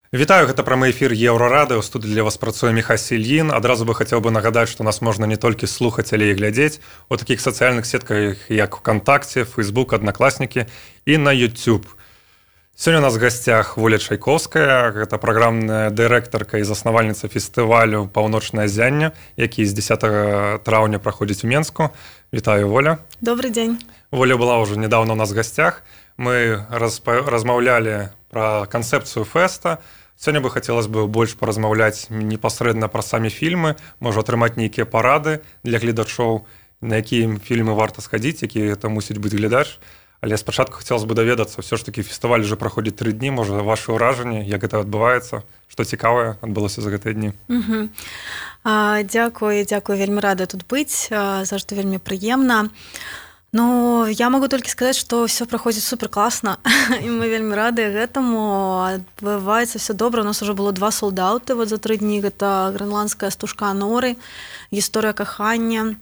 Вітаю, гэта прамы эфір Еўрарады. У студыі для вас працуе Міхась Ільін. Адразу бы хацеў бы нагадаць, што нас можна не толькі слухаць, але і глядзець у такіх сацыяльных сетках, як ВКонтакце, Фейсбук, Аднакласнікі і на YouTube. Сёння у нас в гасцях Воля Чайковская, гэта праграмная дырэктарка і заснавальніца фестывалю «Паўночнае зянне», які з 10 траўня праходзіць у Менску. Вітаю, Воля. Добрый день. Воля была ўжо недавно у нас в гасцях. Мы размаўлялі пра канцэпцыю фэста. Сёння бы хацелася бы больш паразмаўляць непасрэдна пра самі фільмы, можа атрымаць нейкія парады для гледачоў, на якія фільмы варта схадзіць, які гэта мусіць быць глядач. Але спачатку хацелася бы даведацца, ўсё ж такі фестываль уже праходзіць 3 дні, можа, вашы ўражанні, як гэта адбываецца, што цікавае адбылося за гэтыя дні. Дзякуй, вельмі рада тут быць, заўжды вельмі прыемна. Ну, я могу толькі сказаць, што ўсё праходзіць суперкласна, і мы вельмі рады гэтаму. Адбываецца ўсё добра. У нас уже было 2 солдаты за 3 дні. Гэта грэнландская стужка Аноры, гісторыя кахання,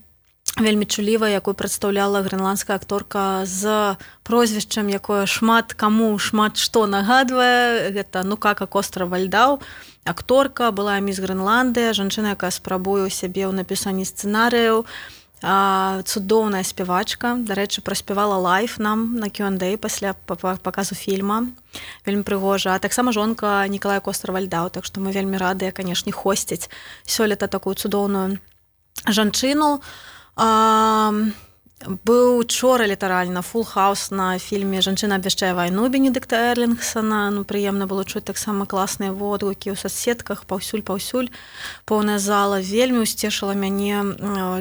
вельмі чулівая, якую прадстаўляла грэнландская акторка з прозвішчам, якое шмат каму шмат што нагадвае. Гэта Нукака Костра-Вальдау. Акторка была міс Грэнландыя, жанчына, якая спрабуе ў сябе ў напісанні сцэнарыяў. Цудоўная спявачка, дарэчы, праспявала лайв нам на Q&A пасля паказу фільма, вельмі прыгожа. А таксама жонка Нікалая Костра-Вальдау, так што мы вельмі радыя, канешне, хосціць сёлета такую цудоўную жанчыну. Быў учора літаральна фул хаус на фільме «Жанчына абвяшчае вайну» Бенедыкта Эрлінгсона. Прыемна было чуць таксама класныя водгукі ў соцсетках, паўсюль, поўная зала. Вельмі усцешыла мяне,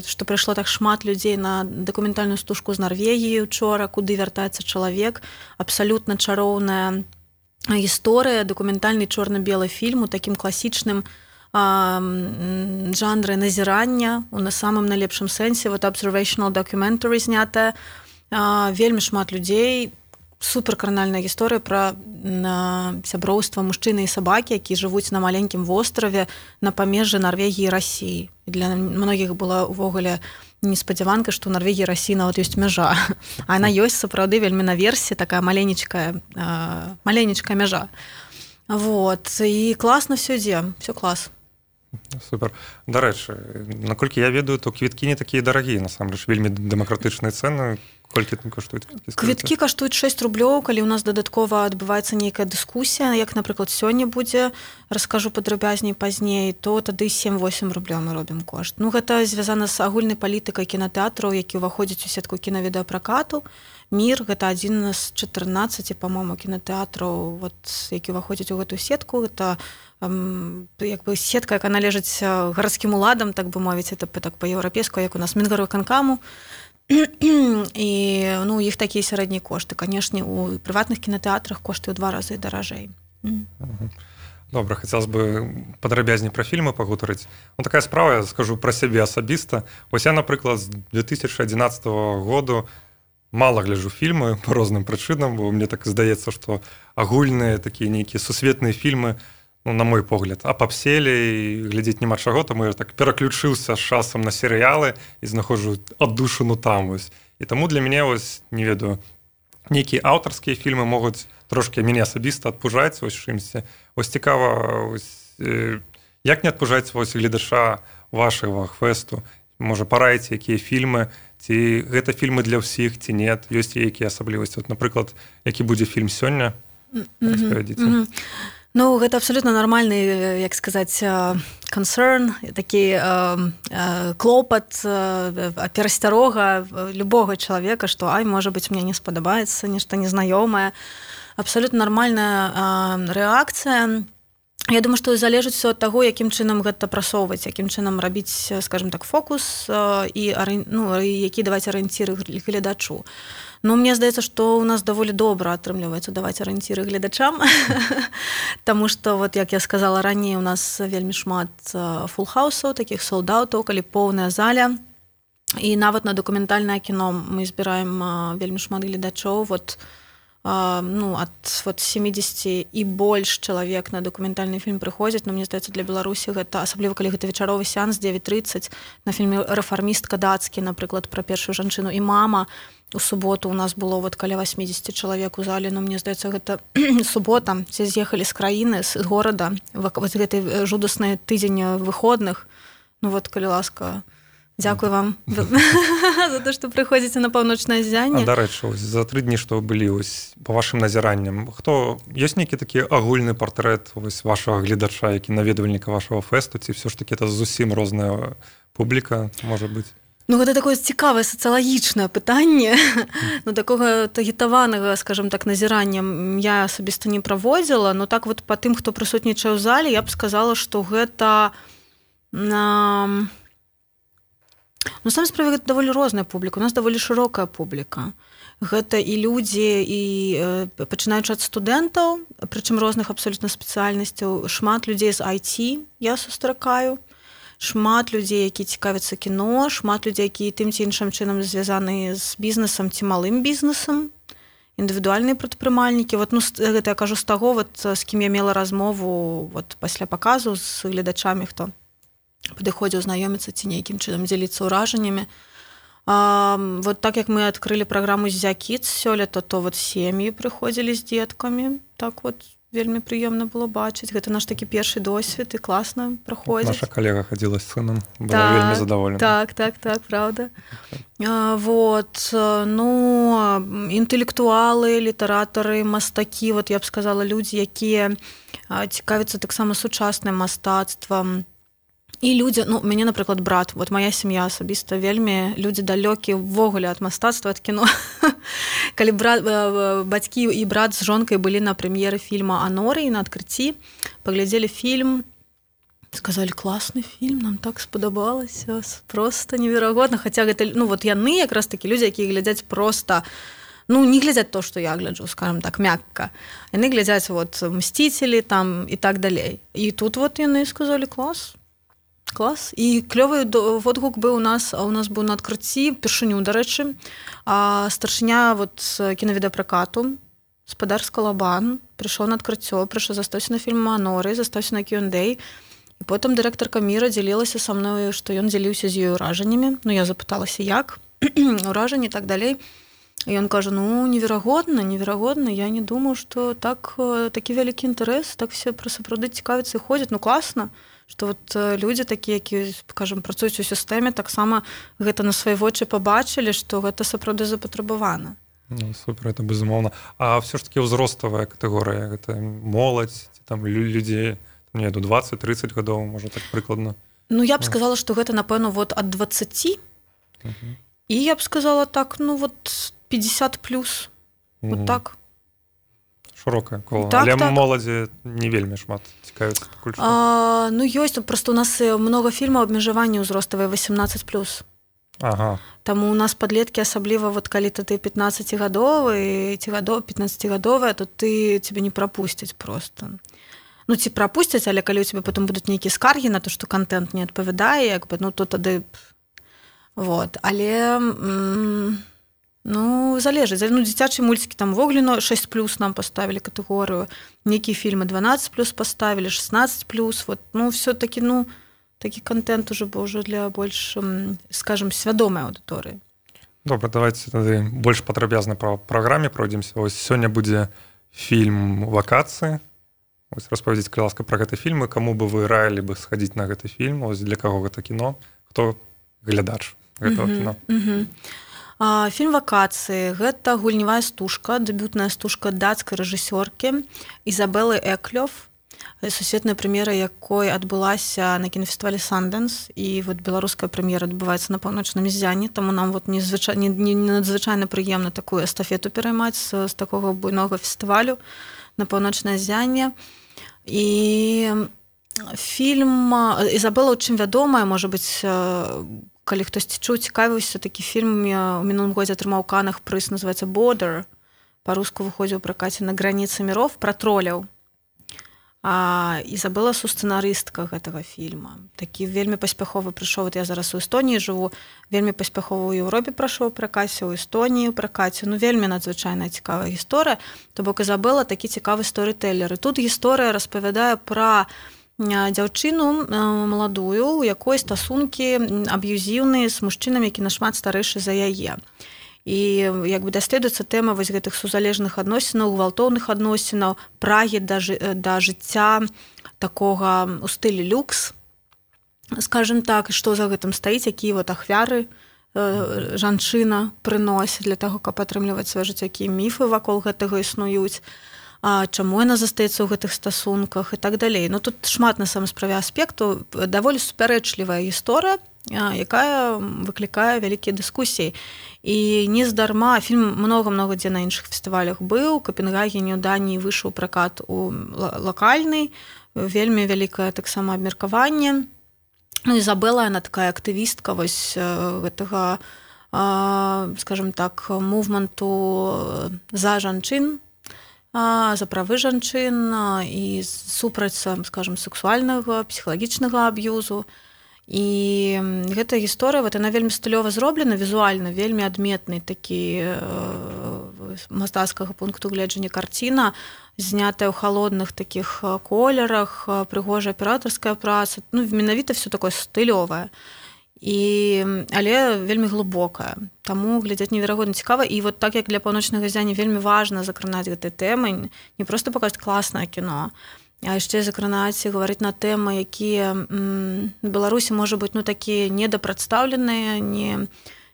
што прыйшло так шмат людзей на дакументальную стужку з Нарвегіі учора, куды вяртаецца чалавек. Абсалютна чароўная гісторыя, дакументальны чорна-белы фільм у такім класічным жанры назірання, у самым найлепшым сэнсе, observational documentary знятая. Вельмі шмат людзей, суперкранальная гісторыя пра сяброўства мужчыны і сабакі, якія жывуць на маленькім востраве на памежжы Нарвегіі і Расіі. Для многіх была ўвогуле неспадзяванка, што ў Нарвегіі і Расіі нават ёсць мяжа. А яна ёсць сапраўды вельмі наверсе, такая маленечкая мяжа. І класна ўсё ідзе, ўсё клас. Супер. Дарэчы, наколькі я ведаю, то квіткі не такія дарагія, насамрэч, вельмі дэмакратычныя цэны. Колькі там каштуюць квіткі? Квіткі каштуюць 6 рублёў, калі ў нас дадаткова адбываецца нейкая дыскусія, як, напрыклад, сёння будзе, раскажу падрабязней пазней, то тады 7-8 рублёў мы робім кошт. Ну, гэта звязана з агульнай палітыкай кінатэатраў, які ўваходзяць у сетку кінавідэапракату. «Мір» — гэта адзін з 14, па-мому, кінатэатраў, які ўваходзяць у гэтую сетку. Гэта сетка, яка належыць гарадскім уладам, так бы мовіць, это так па-еўрапейску, як у нас Мінгарвыканкаму. І іх такія сярэднія кошты. Канешне, у прыватных кінатэатрах кошты ў 2 разы даражэй. Добра, хацелася бы падрабязней пра фільмы пагутарыць. Такая справа, я скажу пра сябе асабіста. Вось я, напрыклад, з 2011 году мала гляджу фільмы па розным прычынам, бо мне так здаецца, што агульныя такія нейкія сусветныя фільмы, на мой погляд, апапселі і глядзець няма чаго, таму я так пераключыўся з часам на серыялы і знаходжу аддушыну там. І таму для мяне, не ведаю, нейкія аўтарскія фільмы могуць трошкі мяне асабіста адпужаць чымсьці. Цікава, як не адпужаць гледача вашага фэсту? Можа, параіце, якія фільмы, ці гэта фільмы для ўсіх, ці нет, ёсць якія асаблівасці? Напрыклад, які будзе фільм сёння? Распавядзіце. Ну, гэта абсолютно нармальны, як сказаць, concern, такі клопат, перасцярога любога чалавека, што можа быць, мне не спадабаецца, нешта незнаёмае. Абсолютно нармальная рэакцыя. Я думаю, што залежыць усё ад таго, якім чынам гэта прасоўваць, якім чынам рабіць, скажем так, фокус і які даваць арыенціры гледачу. Ну, мне здаецца, што ў нас даволі добра атрымліваецца даваць арыенціры гледачам, таму што, як я сказала раней, у нас вельмі шмат фулхаусаў, такіх солдатаў, калі поўная заля, і нават на дакументальнае кіно мы збіраем вельмі шмат гледачоў. ад 70 і больш чалавек на дакументальны фільм прыходзяць, но мне здаецца, для Беларусі гэта, асабліва калі гэта вечаровы сеанс 9:30 на фільме «Рэфармістка» дацкі, напрыклад, пра першую жанчыну і мама. У суботу у нас было каля 80 чалавек у зале, но мне здаецца, гэта субота, все з'ехалі з краіны, з горада, гэты жудасны тыдзень выходных. Калі ласка, дзякуй вам за то, што прыходзіце на паўночнае ззянне. Дарэчы, за 3 дні, што былі па вашым назіранням, ёсць нейкі такі агульны партрэт вашага гледача, які наведвальніка вашага фэсту, ці ўсё ж такі это зусім розная публіка, можа быць? Гэта такое цікавае сацыялагічнае пытанне. Такога таргетаванага, скажем так, назірання я асабіста не праводзіла, но так па тым, хто прысутнічае ў зале, я б сказала, што гэта сам справе гэта даволі розная публіка. У нас даволі шырокая публіка. Гэта і людзі, і пачынаючы ад студэнтаў, прычым розных абсалютна спецыяльнасцяў, шмат людзей з IT я сустракаю, шмат людзей, які цікавяцца кіно, шмат людзей, які тым ці іншым чынам звязаны з бізнесам ці малым бізнесам, індывідуальныя прадпрымальнікі. Гэта я кажу з таго, з кім я мела размову пасля паказу з гледачамі, хто падыходзіў знаёміцца ці нейкім чынам дзеліцца ўражаннямі. Так як мы адкрылі праграму «Зя Кідс» сёлета, то сем'і прыходзілі з дзеткамі. Так вельмі прыемна было бачыць. Гэта наш такі першы досвед і класна праходзіць. Наша калега хадзіла з сынам, была вельмі задаволена. Так, правда. Інтэлектуалы, літаратары, мастакі, я б сказала, людзі, якія цікавяцца таксама сучасным мастацтвам. І людзі, мяне, напрыклад, брат, моя сям'я асабіста вельмі людзі далёкія ўвогуле ад мастацтва, ад кіно. Калі бацькі і брат з жонкай былі на прэм'еры фільма «Аноры» на адкрыцці, паглядзелі фільм, сказалі, класны фільм, нам так спадабалася, проста неверагодна. Хаця гэта, яны якраз такі людзі, якія глядзяць проста, не глядзяць то, што я гляджу, скажем так, мякка. Яны глядзяць «Мсціцелі» там і так далей. І тут яны сказалі, клас. І клёвы водгук быў у нас быў на адкрыцці першыню, дарэчы, старшыня кінавідэапракату, спадар Скалабан, прыйшоў на адкрыццё, застаўся на фільм «Аноры», застаўся на Q&A, і потым дырэктарка Міра дзялілася са мною, што ён дзяліўся з ёй ўражаннямі. Я запыталася, як, ўражанні і так далей. І ён кажа, неверагодна, я не думаю, што такі вялікі інтарэс, так все сапраўды цікавяцца і ходзяць, класна. Што людзі такія, які, скажем, працуюць у сістэме, таксама гэта на свае вочы пабачылі, што гэта сапраўды запатрабавана. Супер, это безумоўна. А ўсё ж такі ўзроставая катэгорыя, гэта моладзь, ці там людзі, до 20-30 гадоў, можа так прыкладна? Я б сказала, што гэта, напэўна, ад 20, і я б сказала так, 50 плюс, так. Шырокае кола. Але моладзі не вельмі шмат цікавіцца пакуль што. Ёсць, проста у нас многа фільмаў абмежавання ўзроставыя 18+. Ага. Таму у нас падлеткі, асабліва калі ты 15-гадовы, 15-гадовая, то цябе не прапусцяць проста. Ці прапусцяць, але калі ў цябе потым будуць нейкія скаргі на то, што контент не адпавядае, то тады... Але... залежыць. Дзіцячыя мульцікі там ввогуле 6+ нам паставілі катэгорыю, нейкія фільмы 12+ паставілі, 16+, все-таки, такі контент уже быў для больш, скажем, свядомай аўдыторыі. Добра, давайте тады больш падрабязна па праграме пройдземся. Сёння будзе фільм «Вакацыі». Распавядзіце, калі ласка, пра гэты фільм, і каму бы вы раілі бы схадзіць на гэты фільм, для каго гэта кіно, хто глядач гэтага кіно. Фільм «Вакацыі» – гэта гульнявая стужка, дэбютная стужка дацкай рэжысёркі Ізабелы Эклёв, сусветная прэм'ера якой адбылася на кінафестывалі «Сандэнс», і беларуская прэм'ера адбываецца на паўночным ззянні, таму нам надзвычайна прыемна такую эстафету пераймаць з такога буйнога фестывалю на паўночнае ззянне. І фільм Ізабела, у чым вядомая, можа быць, калі хтосьці чуў, цікавіўся, такі фільм у мінулым годзе атрымаў у Канах прыз, называецца «Border», па-руску выходзіў у пракаце «На граніцы міров», пра троляў. Ізабела сцэнарыстка гэтага фільма. Такі вельмі паспяховы прыйшоў, я зараз у Эстоніі жыву, вельмі паспяхова ў Еўропе прайшоў пракаце, у Эстоніі пракаце. Вельмі надзвычайная цікавая гісторыя. То бок Ізабела такі цікавы сторытэлер. І тут гісторыя распавядае пра дзяўчыну маладую, у якой стасункі аб'юзіўныя з мужчынам, які нашмат старэйшы за яе. І як бы даследуецца тэма вось гэтых сузалежных адносінаў, гвалтоўных адносінаў, прагі да жыцця такога ў стылі люкс, скажем так, што за гэтым стаіць, якія вот ахвяры жанчына прыносіць для таго, каб атрымліваць сваё жыццё, якія міфы вакол гэтага існуюць, чаму яна застаецца ў гэтых стасунках і так далей. Ну тут шмат на самой справе аспектаў, даволі супярэчлівая гісторыя, якая выклікае вялікія дыскусіі. І нездарма фільм многа-многа дзе на іншых фестывалях быў, у Капенгагене, у Даніі выйшаў пракат у лакальны, вельмі вялікае таксама абмеркаванне. Ізабела, яна такая актывістка вось гэтага, скажем так, мувменту за жанчын, за правы жанчын і супраць, скажем, сексуальнага, псіхалагічнага аб'юзу. І гэтая гісторыя, вот, яна вельмі стылёва зроблена, візуальна, вельмі адметны такі мастацкага пункту гледжання карціна, знятая ў халодных такіх колерах, прыгожая аператарская праца, менавіта все такое стылёвае. Але вельмі глыбокая. Таму глядзець неверагодна цікава. І вот так, як для паўночнага зяні вельмі важна закранаць гэтай тэмы, не проста паказаць класнае кіно, а яшчэ закранаць і гаварыць на тэмы, якія в Беларусі, можа быць, такія недапрадстаўленыя,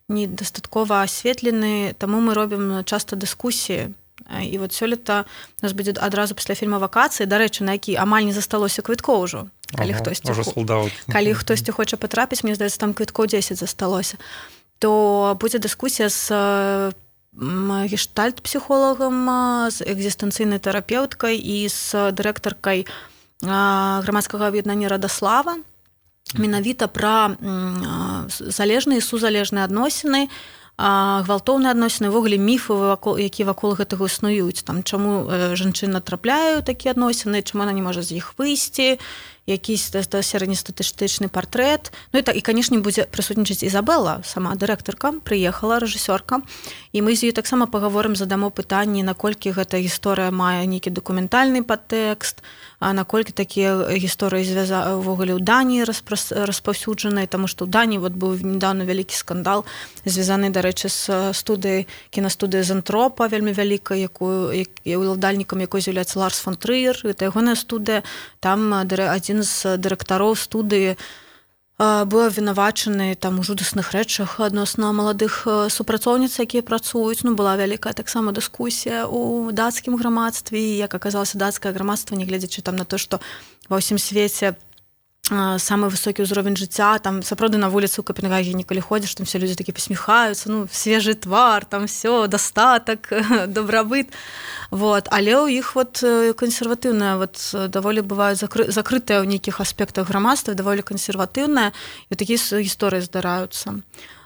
недастаткова асветленыя, таму мы робім часта дыскусіі. І вот сёлета у нас будзе адразу пасля фільма «Вакацыі», дарэчы, на які амаль не засталося квіткоў ужо. Калі хтосьці хоча патрапіць, мне здаецца, там квіткоў 10 засталося, то будзе дыскусія з гештальт-псіхолагам, з экзістэнцыйнай тэрапеўткай і з дырэктаркай грамадскага аб'яднання «Радаслава», менавіта пра залежныя і сузалежныя адносіны, гвалтоўныя адносіны, увогуле міфы, якія вакол гэтага існуюць. Там, чаму жанчына трапляе ў такія адносіны, чаму яна не можа з іх выйсці, якийсь сярэднестатыстычны партрэт. І, канешне, будзе прысутнічаць Ізабела, сама дырэктарка, прыехала, рэжысёрка. І мы з ёй таксама пагаворым, задамо пытанні, наколькі гэта гісторыя мае нейкі дакументальны падтэкст, наколькі такія гісторыі увогуле ў Даніі распаўсюджаныя, таму што ў Даніі быў недавно вялікі скандал, звязаны, дарэчы, з кінастудыяй Зентропа, вельмі вялікай, ўладальнікам якой з'яўляецца Ларс фон Трыер. Гэта ягоная студыя. Там адзін з дырэктароў студыі быў абвінавачаны у жудасных рэчах адносна маладых супрацоўніц, якія працуюць. Была вялікая таксама дыскусія ў дацкім грамадстве. І, як аказалася, дацкае грамадства, нягледзячы на то, што ва ўсім свеце самы высокі ўзровень жыцця, там сапраўды на вуліцу ў Капенгагене, калі ходзіш, там все людзі такі пасміхаюцца, свежы твар, там все, дастатак, дабрабыт. Але ў іх кансерватыўная, даволі бываюць закрытыя ў нейкіх аспектах грамадства, даволі кансерватыўная, і такія гісторыі здараюцца.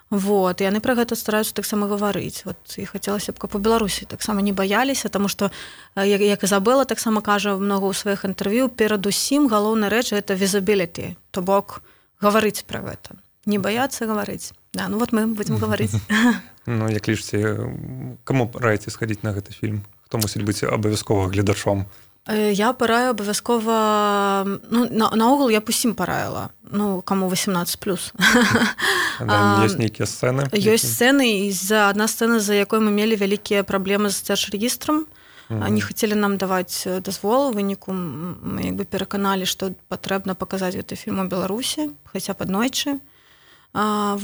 Яны пра гэта стараюцца таксама гаварыць. І хацелася б, каб у Беларусі таксама не баяліся, таму што, як Ізабела таксама кажа многа ў сваіх інтэрв'ю, перадусім галоўная рэч — гэта visibility, то бок гаварыць пра гэта. Не баяцца гаварыць. Мы будзем гаварыць. Як лічыце, каму раіце схадзіць на гэты фільм? Хто мусіць быць абавязкова гледачом? Я параю абавязкова, наогул я б усім параіла, каму 18+. Ёсць нейкія сцэны? Ёсць сцэны, і адна сцэна, за якой мы мелі вялікія праблемы з дзяржрэгістрам. Не хацелі нам даваць дазвол, у выніку мы пераканалі, што патрэбна паказаць гэты фільм у Беларусі, хаця б аднойчы. Таму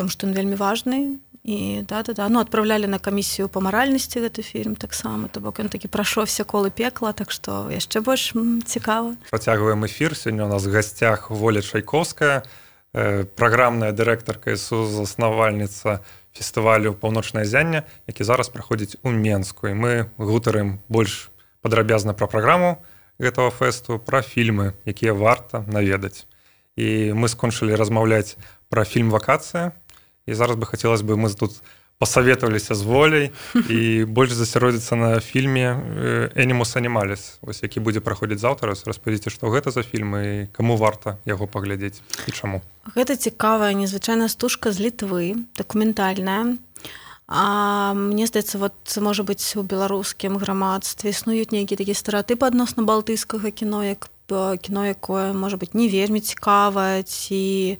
што ён вельмі важны. І адпраўлялі на камісію па маральнасці гэты фільм таксама, то бок ён такі прайшоў все колы пекла, так што яшчэ больш цікава. Працягваем эфір. Сёння у нас в гасцях Воля Чайковская, праграмная дырэктарка і сузаснавальніца фестывалю «Паўночнае зянне», які зараз праходзіць у Менску. І мы гутарым больш падрабязна пра праграму гэтага фэсту, пра фільмы, якія варта наведаць. І мы скончылі размаўляць пра фільм «Вакацыя». І зараз бы хацелось бы мы тут пасаветаваліся з воляй і больш засяродзіцца на фільме «Animus Animalis», вось які будзе праходзіць заўтра. Распавядзіце, што гэта за фільм і каму варта яго паглядзець і чаму. Гэта цікавая, незвычайная стужка з Літвы, дакументальная. Мне здаецца, вот, можа быць, у беларускім грамадстве існуюць нейкія такія стэрэатыпы адносна балтыйскага кіно, як кіно, якое, можа быць, не вельмі цікавае, ці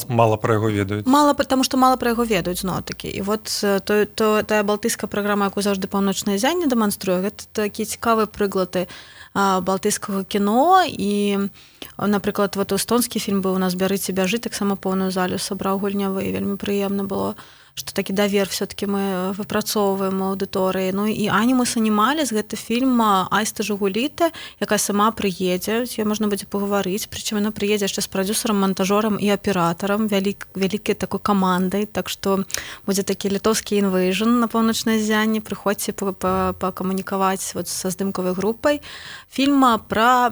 мало пра яго ведаюць. Таму што мала пра яго ведаюць, зноў-такі. І вот тая балтыйская праграма, якую заўжды «Паўночнае ззянне» дэманструе, гэта такія цікавыя прыклады балтыйскага кіно. І, напрыклад, вот эстонскі фільм быў у нас «Бярыце, бяжы», таксама поўную залю сабраў гульнявы, і вельмі прыемна было, што такі давер все-таки мы выпрацоўваем у аўдыторыі. Ну і «Animus Animalis» гэта фільм Айсты Жугуліты, якая сама прыедзе, з ёй можна будзе пагаварыць, прычым яна прыедзе яшчэ з прадзюсарам, монтажёрам і аператарам, вялікай такой камандай, так што будзе такі літоўскі інвэйжн на «Паўночнае ззянне», прыходзьце пакамунікаваць вот са здымкавай групай. Фільм пра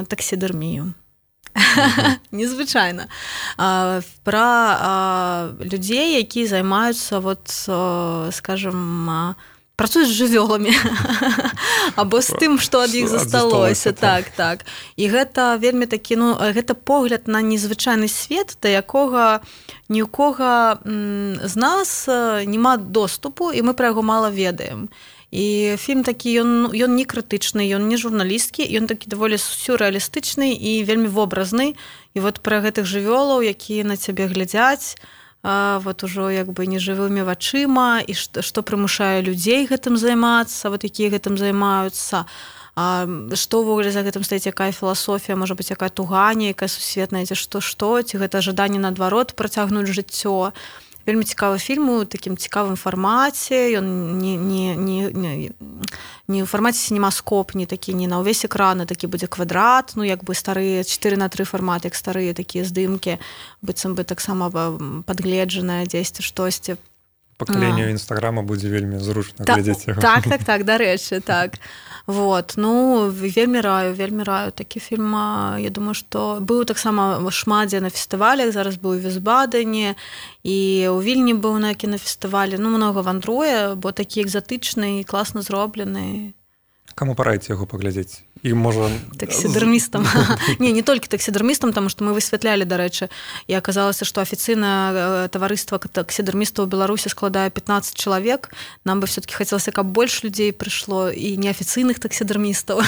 таксідэрмію. Незвычайна. Пра людзей, якія займаюцца, вот, скажем, працуюць з жывёламі або з тым, што ад іх засталося. Так. І гэта вельмі такі, гэта погляд на незвычайны свет, да якога ні ў кога з нас няма доступу, і мы пра яго мала ведаем. І фільм такі, ён не крытычны, ён не журналісткі, ён такі даволі сюррэалістычны і вельмі вобразны. І вот пра гэтых жывёлаў, якія на цябе глядзяць, вот ужо як бы нежывымі вачыма, і што прымушае людзей гэтым займацца, вот якія гэтым займаюцца, што ўвогуле за гэтым стаіць, якая філасофія, можа быць, якая туганя, якая сусветная, ці што, ці гэта жаданне наадварот працягнуць жыццё. Вельмі цікавы фільм у такім цікавым фармаце, ён не ў фармаце сінемаскоп, не такі, не на ўвесь экран, а такі будзе квадрат, як бы старыя 4:3 фармат, як старыя такія здымкі, быццам бы таксама падгледжаныя дзесьці штосьці. Пакаленню Інстаграма будзе вельмі зручна глядзець яго. Так, дарэчы, так. Вот, вельмі раю такі фільм. Я думаю, што быў таксама шмат дзе на фестывалях, зараз быў у Вісбадене, і ў Вільні быў на кінафестывалі. Многа вандруе, бо такі экзатычны і класна зроблены. Каму параіце яго паглядзець? І можа... Таксідэрмістам. Не толькі таксідэрмістам, таму што мы высвятлялі, дарэчы, і аказалася, што афіцыйнае таварыства таксідэрмістаў у Беларусі складае 15 чалавек. Нам бы все-таки хацелася, каб больш людзей прыйшло, і неафіцыйных таксідэрмістаў,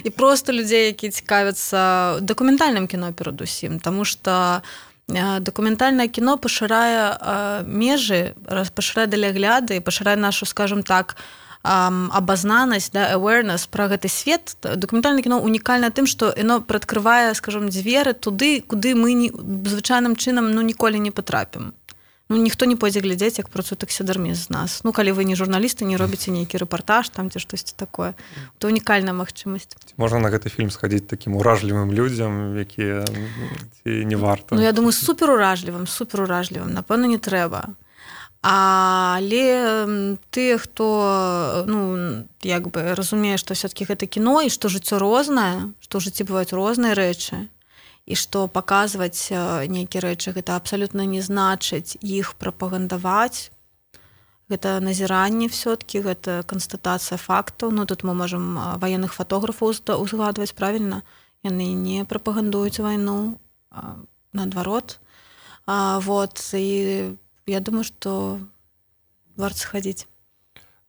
і проста людзей, якія цікавяцца дакументальным кіно перадусім, таму што дакументальнае кіно пашырае межы, пашырае далягляды, пашырае нашу, скажем так, абазнанасць, awareness пра гэты свет. Дакументальнае кіно унікальна тым, што яно прыадкрывае, скажем, дзверы туды, куды мы звычайным чынам ніколі не патрапім. Ніхто не пойдзе глядзець, як працуе таксідэрміст з нас. Калі вы не журналісты, не робіце нейкі рэпартаж там ці штосьці такое, то унікальная магчымасць. Можна на гэты фільм схадзіць такім уражлівым людзям, якія не варта? Я думаю, суперуражлівым, напэўна, не трэба. Але тыя, хто як бы разумее, што все-таки гэта кіно, і што жыццё рознае, што ў жыцці бываюць розныя рэчы, і што паказваць нейкія рэчы, гэта абсалютна не значыць іх прапагандаваць. Гэта назіранне все-таки, гэта канстатацыя фактаў. Тут мы можам ваенных фотографаў узгадваць, правільна? Яны не прапагандуюць вайну, наадварот. Вот, і я думаю, што варта схадзіць.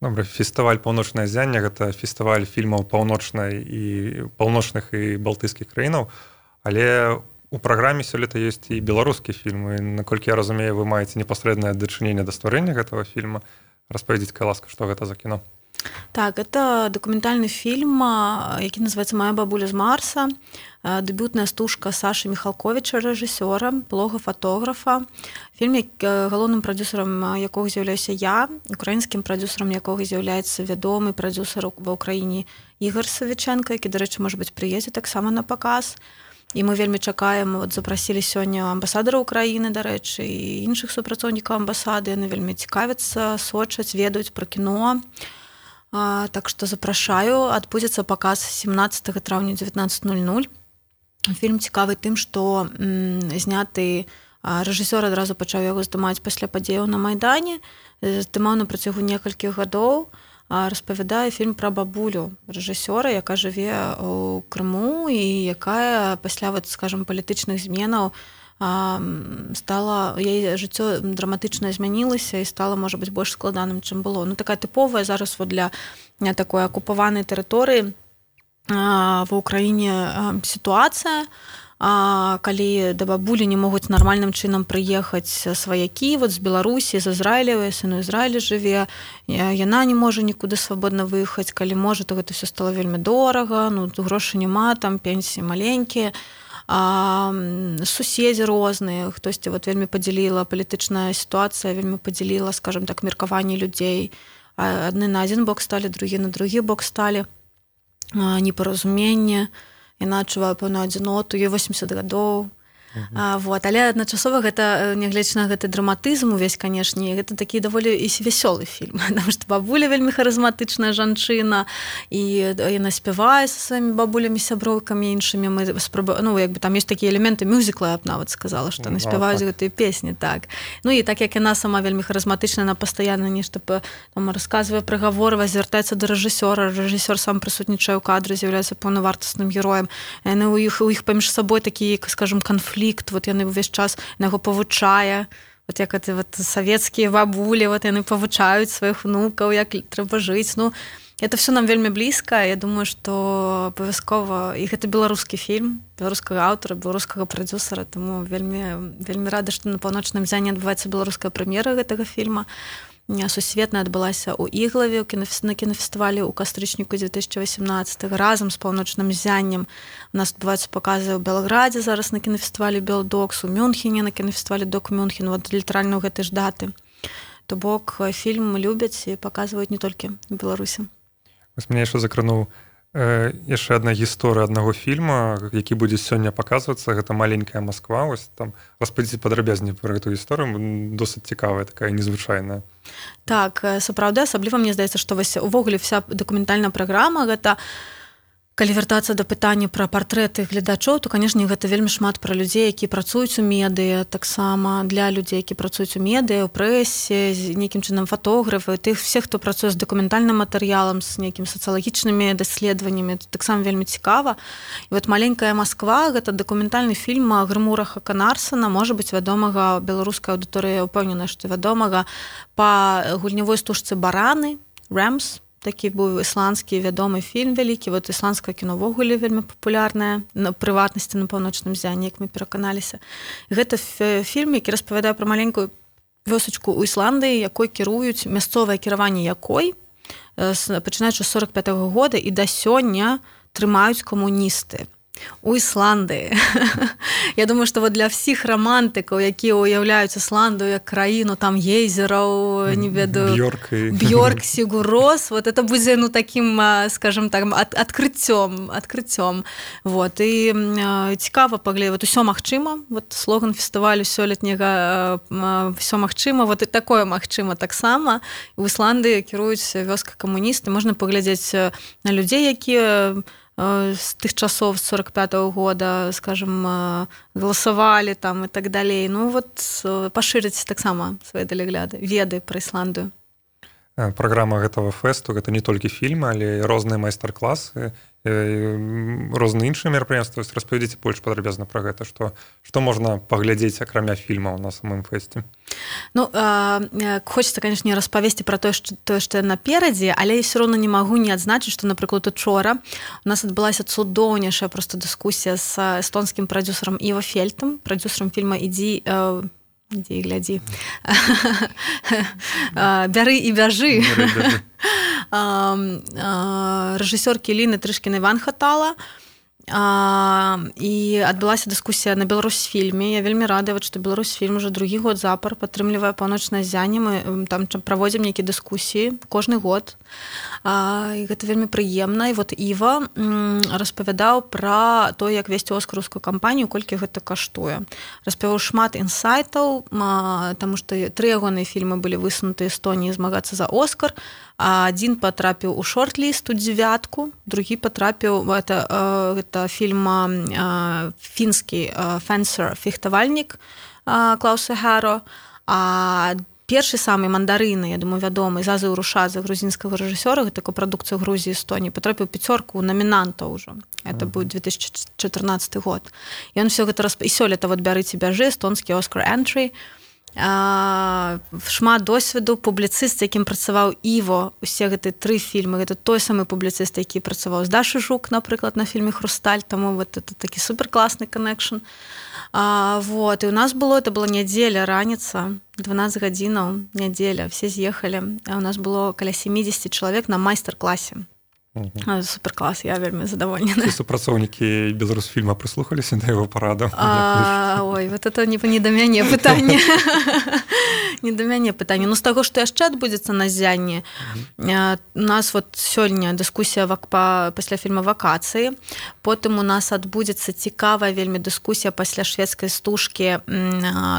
Добра, фестываль «Паўночнае ззянне» – гэта фестываль фільмаў паўночных і балтыйскіх краінаў, але у праграме сёлета ёсць і беларускія фільмы. Наколькі я разумею, вы маеце непасрэднае дачыненне да стварэння гэтага фільма. Распавядзіце, калі ласка, што гэта за кіно? Так, это дакументальны фільм, які называецца «Моя бабуля з Марса». Дэбютная стужка Сашы Міхалковіча, рэжысёра, блога фотографа. Фільм, галоўным прадзюсарам якога з'яўляюся я, украінскім прадзюсарам якога з'яўляецца вядомы прадзюсар ва ўкраіне Ігар Савічэнка, які, дарэчы, можа быць, прыедзе таксама на паказ. І мы вельмі чакаем, запрасілі сёння амбасадара Украіны, дарэчы, і іншых супрацоўнікаў амбасады. Яны вельмі цікавяцца, сочаць, ведаюць пра кіно. Так што запрашаю, адбудзецца паказ 17 траўня 19:00. Фільм цікавы тым, што зняты Рэжысёр адразу пачаў яго здымаць пасля падзеяў на Майдане, здымаў на працягу некалькіх гадоў, распавядае фільм пра бабулю рэжысёра, якая жыве ў Крыму і якая пасля, скажам, палітычных зменаў стала, яе жыццё драматычна змянілася і стала, можа быць, больш складаным, чым было. Такая тыповая зараз для такой акупаванай тэрыторыі ва ўкраіне сітуацыя, калі да бабулі не могуць нармальным чынам прыехаць сваякі з Беларусі, з Ізраіля, сын у Ізраілі жыве, яна не можа нікуды свабодна выехаць, калі можа, то гэта ўсё стала вельмі дорага, грошы няма, там пенсіі маленькія, суседзі розныя, хтосьці вельмі падзяліла, палітычная сітуацыя вельмі падзяліла, скажам так, меркаванні людзей. Адны на адзін бок сталі, другі на другі бок сталі, непаразуменне. Яна адчувае пэўную адзіноту, ёй 80 гадоў. Але адначасова гэта, нягледзячы на гэты драматызм увесь, канешне, гэта такі даволі і вясёлы фільм, потому што бабуля вельмі харызматычная жанчына, і яна спявае са сваімі бабулямі, сяброўкамі іншымі. Там ёсць такія элементы мюзікла, я б нават сказала, што яны спяваюць гэтыя песні, так. І так як яна сама вельмі харызматычная, яна пастаянна нешта расказвае, прыгаворвае, звяртаецца да рэжысёра, рэжысёр сам прысутнічае ў кадры, з'яўляецца паўнавартасным героем. Яны у іх паміж сабой такі, скажам, канфлікт, яны ўвесь час на яго павучае, як савецкія бабулі, яны павучаюць сваіх внукаў, як трэба жыць. Это все нам вельмі блізка. Я думаю, што абавязкова, і гэта беларускі фільм, беларускага аўтара, беларускага прадзюсара, таму вельмі рада, што на паўночным зяне адбываецца беларуская прэм'ера гэтага фільма. Сусветная адбылася ў Іглаве на кінафестывалі ў кастрычніку 2018 разам з паўночным зяннем. У нас адбываюцца паказы ў Белградзе зараз на кінафестывалі Белдокс, у Мюнхене на кінафестывалі Док Мюнхен, літаральна ў гэтай ж даты. То бок фільм любяць і паказваюць не толькі ў Беларусі. Мяне яшчэ закрануў яшчэ адна гісторыя аднаго фільма, які будзе сёння паказвацца, гэта «Маленькая Москва». Там распавядзіце падрабязней пра гэтую гісторыю, досыць цікавая, такая незвычайная. Так, сапраўды, асабліва мне здаецца, што увогуле вся дакументальная праграма гэта, калі вяртацца да пытання пра партрэты гледачоў, то, канешне, гэта вельмі шмат пра людзей, які працуюць у медыа, таксама для людзей, які працуюць у медыа, у прэсе, з нейкім чынам фотографы, тых всех, хто працуе з дакументальным матэрыялам, з нейкім сацыялагічнымі даследаваннямі, таксама вельмі цікава. І «Маленькая Москва» гэта дакументальны фільм Грымура Хаканарсена, можа быць, вядомага беларускай аўдыторыі, ўпэўнена, што вядомага па гульнявой стужцы «Бараны», «Рэмс». Такі быў ісландскі вядомы фільм вялікі, ісландскае кіно ўвогуле вельмі папулярнае, на прыватнасці на паўночным зяне, як мы пераканаліся. Гэта фільм, які распавядае пра маленькую вёсачку ў Ісландыі, якой кіруюць, мясцовае кіраванне якой, пачынаючы з 45-го года і да сёння трымаюць камуністы. У Ісландыі. Я думаю, што для всіх романтыкаў, якія уяўляюць Ісландыю як краіну, там гейзераў, не ведаю, Бьорк, Сігур-Рос, это будзе, такім, скажем так, адкрыццём. І цікава паглядзець, усё магчыма, слоган фестывалю сёлетняга «Всё магчыма», і такое магчыма таксама. У Ісландыі кіруюць вёска камуністы, можна паглядзець на людзей, якія з тых часоў, з 45-го года, скажем, галасавалі там і так далей. Пашырыць таксама свае далягляды, веды пра Ісландыю. Праграма гэтага фэсту, гэта не толькі фільмы, але і розныя майстар-класы, розныя іншыя мерапрыемствы. Распавядзіце больш падрабязна пра гэта, што можна паглядзець акрамя фільмаў на самым фэсце. Хочется, конечно, распавесці пра тое, што наперадзе, але я ўсё роўна не магу не адзначыць, што, напрыклад, учора у нас адбылася цудоўнейшая проста дыскусія з эстонскім прадзюсарам Іва Фельтам, прадзюсарам фільма «Ідзі і глядзі». «Бяры і бяжы». Рэжысёркі Ліны Трышкінай Ван-Хатала. І адбылася дыскусія на Беларусьфільме. Я вельмі рада, што Беларусьфільм уже другі год запар падтрымлівае паўночнае зянне. Мы там праводзім нейкія дыскусіі кожны год. І гэта вельмі прыемна. І Іва распавядаў пра то, як весці оскараўскую кампанію, колькі гэта каштуе. Распавяў шмат інсайтаў, таму што 3 ягоныя фільмы былі высунуты Эстоніі змагацца за Оскар. Адзін патрапіў у шорт-ліст, у 9, другі патрапіў, гэта фільм фінскі «Фенсер», «Фехтавальнік», Клауса Хэро, а першы самы мандарыны, я думаю, вядомы Зазы Урушадзе, грузінскага рэжысёра, гэта капрадукцыя Грузіі Эстонії, патрапіў пяцёрку намінантаў ўжо. Это быў 2014 год. І ён всё гэта і сёлета вот бярыце бяжы, эстонскі Оскар Энтрі. Шмат досведу, публіцыст, якім працаваў Іво, усе гэты 3 фільмы, гэта той самы публіцыст, які працаваў з Дашай Жук, напрыклад, на фільме «Хрусталь», таму вот это такі суперкласны коннекшн. Вот, і у нас это была нядзеля, раніца, 12 гадзінаў, нядзеля, все з'ехалі, а у нас было каля 70 чалавек на майстар-класе. Суперклас, я вельмі задавольнена. Ці супрацоўнікі Беларусфільма прыслухаліся да яго парадаў? Ой, вот это не да мяне пытанне. Не да мяне пытанне. Ну, з таго, што яшчэ адбудзецца на зянні, у нас вот сёння дыскусія пасля фільма «Вакацыі», потым у нас адбудзецца цікавая вельмі дыскусія пасля шведскай стужкі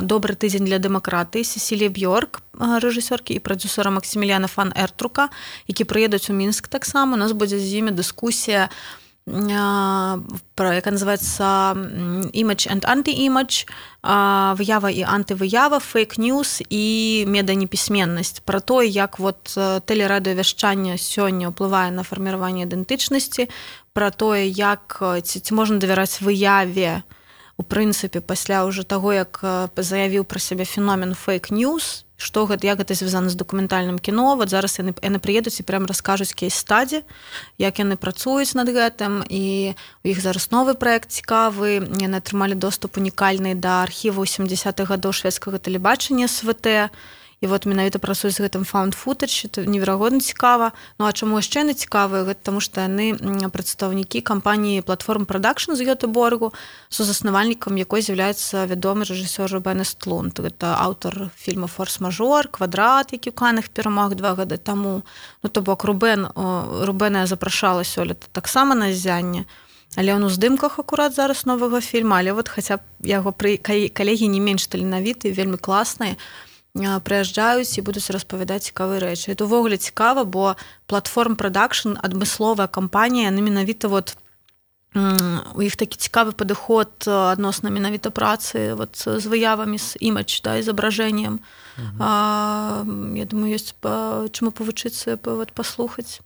«Добры тыдзень для дэмакратыі» Сесілі Бьорк, рэжысёркі, і прадзюсера Максіміліяна фан Эртрука, які прыедуць у Мінск таксама. У нас будзе з імі дыскусія, яка называецца «Image and anti-image», выява і антывыява, фейк-ньюс і меданепісьменнасць. Пра тое, як вот тэлерадыёвяшчанне сёння ўплывае на фарміраванне ідэнтычнасці, пра тое, як ці можна давяраць выяве, у прынцыпе, пасля ўжо таго, як заявіў пра сябе феномен фейк-ньюс, як гэта звязана з дакументальным кіно. Вот зараз яны прыедуць і прям раскажуць кейс-стаді, як яны працуюць над гэтым, і у іх зараз новы праект цікавы. Яны атрымалі доступ унікальны да архіву 70-х гадоў шведскага тэлебачання СВТ, і вот менавіта працуюць з гэтым found footage, это неверагодна цікава. Ну а чаму яшчэ яны цікавыя? Гэта таму што яны прадстаўнікі кампаніі Platform Production з Гётэборгу, сузаснавальнікам якой з'яўляецца вядомы рэжысёр Рубен Өстлунд. Гэта аўтар фільма «Форс-мажор», «Квадрат», які ў Каннах перамог 2 гады таму. Ну то бок Рубена я запрашала сёлета таксама на зянне, але ён у здымках акурат зараз новага фільма, але вот хаця б яго калегі не менш таленавітыя, вельмі класныя, прыязджаюць і будуць распавядаць цікавыя рэчы. Это ўвогуле цікава, бо Platform Production, адмысловая кампанія, яны менавіта вот у іх такі цікавы падыход адносна менавіта працы вот з выявамі, з імідж, да, зображэннем. Я думаю, ёсць чаму павучыцца, паслухаць.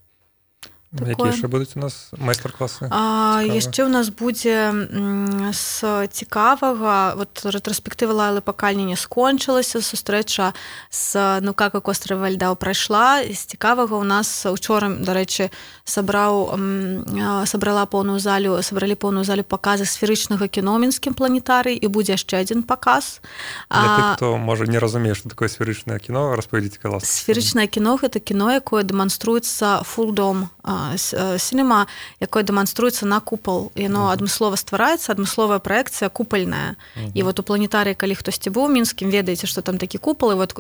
Якія яшчэ будуць у нас майстар-класы? Яшчэ ў нас будзе з цікавага, вот рэтраспектыва Лайлы Пакальні не скончылася, сустрэча з «Ну как у острове льда» прайшла. З цікавага у нас учора, дарэчы, сабралі поўную залю паказы сферычнага кіно ў мінскім планетарыі, і будзе яшчэ адзін паказ. Для тых, хто, можа, не разумее, што такое сферычнае кіно, распавядзіце, калі ласка. Сферычнае кіно – гэта кіно, якое дэманструецца фулдом, сінема, якое дэманструецца на купал. Яно адмыслова ствараецца, адмысловая праекцыя купальная. І вот у планетарыі, калі хтосьці быў у Мінскім, ведаеце, што там такі купал, і вот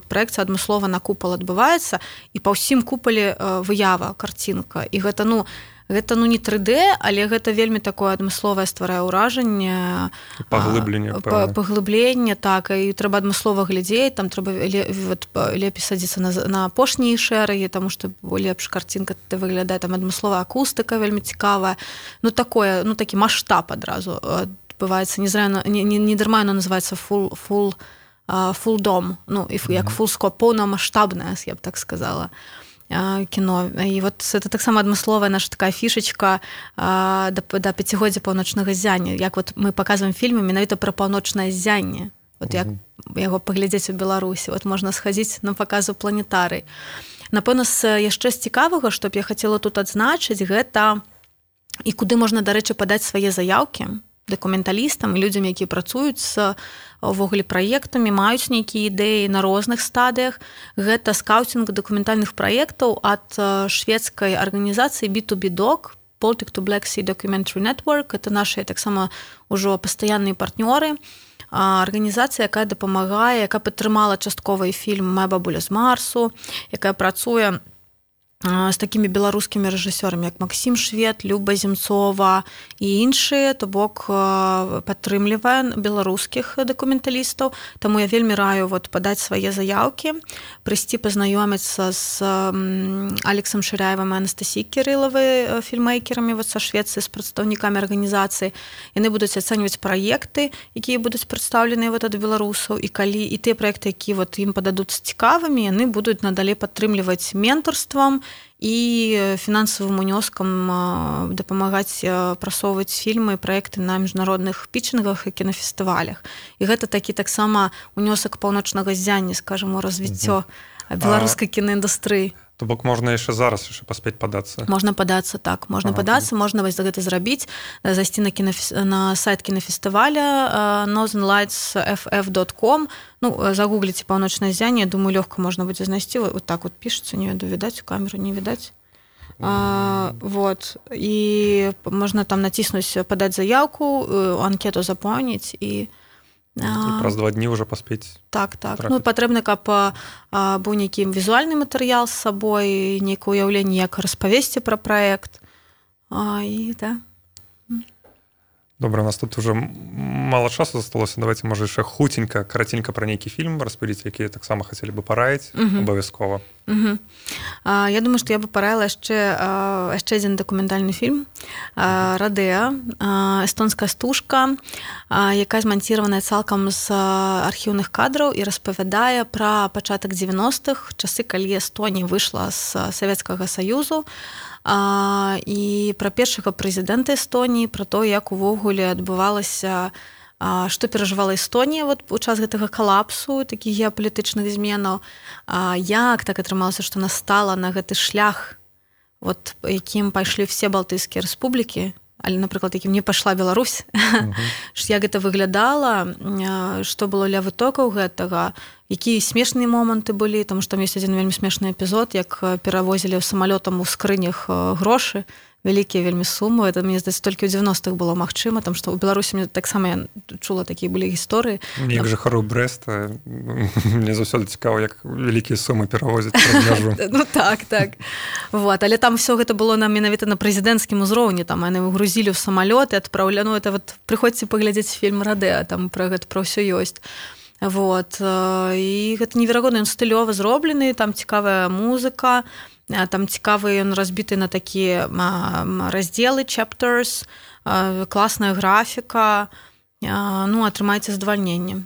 праекцыя адмыслова на купал адбываецца, і па ўсім купале выява, карцінка. І гэта, гэта не 3D, але гэта вельмі такое адмысловае стварае ўражанне. Паглыбленне, так, і трэба адмыслова глядзець, там трэба лепей садзіцца на апошнія шэрагі, таму што лепш карцінка выглядае, там адмысловая акустыка вельмі цікавая. Такі маштаб адразу адбываецца. Не дарма яно называецца фулдом, як фулскоп, поўнамаштабнае, я б так сказала, кіно. І вот это таксама адмысловая наша такая фішачка да 5-годдзя паўночнага зяння. Як вот мы паказваем фільмы менавіта пра паўночнае зянне. Вот як яго паглядзець у Беларусі. Вот можна схадзіць на паказу планетарый. Напэўна, яшчэ з цікавага, што б я хацела тут адзначыць, гэта і куды можна, дарэчы, падаць свае заяўкі дакументалістам і людзям, якія працуюць з увогуле праектамі, маюць нейкія ідэі на розных стадыях. Гэта скаутинг дакументальных праектаў ад шведскай арганізацыі B2B Doc, Baltic to Black Sea Documentary Network. Это наши таксама ўжо пастаянныя партнёры. Арганізацыя, якая дапамагае, якая падтрымала часткова і фільм «Моя бабуля з Марсу», якая працуе з такімі беларускімі рэжысёрамі, як Максім Швед, Люба Земцова і іншыя, то бок падтрымлівае беларускіх дакументалістаў. Таму я вельмі раю падаць свае заяўкі, прыйсці пазнаёміцца з Алексам Шыряевым і Анастасіяй Кірылавай, фільмейкерамі са Швецыі, з прадстаўнікамі арганізацыі. Яны будуць ацэньваць праекты, якія будуць прадстаўленыя ад беларусаў, і калі і тыя праекты, якія ім пададуцца цікавымі, яны будуць надалей падтрымліваць ментарствам і фінансавым унёскам дапамагаць прасоўваць фільмы і праекты на міжнародных пітчынгах і кінафестывалях. І гэта такі таксама унёсак паўночнага ззяння, скажам, у развіццё беларускай кінаіндустрыі. То бок можна яшчэ зараз паспець падацца. Можна падацца, так. Можна падацца, можна гэта зрабіць, зайсці на сайт кінафестываля northernlightsff.com. Загугліце паўночнае ззянне, думаю, лёгка можна будзе знайсці. Вот так пішацца, не ведаю, відаць, у камеру не відаць. І можна там націснуць, падаць заяўку, анкету запоўніць і праз 2 дні ўжо паспець. Так. Патрэбна, каб быў нейкі візуальны матэрыял з сабой, нейкае ўяўленне, як распавесці пра праект. Добра, у нас тут уже мало часу засталося. Давайте, можа, яшчэ хуценька, караценька пра нейкі фільм распавядзіць, які таксама хацелі бы параіць, абавязкова. Я думаю, што я бы параіла яшчэ адзін дакументальны фільм «Радеа», эстонская стужка, якая зманціраваная цалкам з архіўных кадраў і распавядае пра пачатак 90-х, часы, калі Эстонія выйшла з Савецкага Саюзу, і пра першага прэзідэнта Эстоніі, пра то, як увогуле адбывалася, што перажывала Эстонія у час гэтага калапсу, такіх геапалітычных зменаў, як так атрымалася, што настала на гэты шлях, якім пайшлі все балтыйскія рэспублікі, але, напрыклад, якім не пайшла Беларусь, як гэта выглядала, што было ля вытокаў гэтага, якія смешныя моманты былі, таму што там ёсць адзін вельмі смешны эпізод, як перавозілі самалётам у скрынях грошы, вялікія вельмі сумы. Это, мне здаецца, толькі ў 90-х было магчыма, там што ў Беларусі мне таксама я чула такія былі гісторыі. Як жыхару Брэста, мне заўсёды цікава, як вялікія сумы перавозяць праз мяжу. Так. Але там все гэта было менавіта на прэзідэнцкім узроўні, там яны грузілі ў самалёт і адпраўлялі. Прыходзьце паглядзець фільм «Радеа», там пра гэта пра ўсё ёсць. І гэта неверагодна, ён стылёва зроблены, там цікавая музыка, там цікавы ён разбіты на такія раздзелы, chapters, класная графіка, атрымайце задавальненне.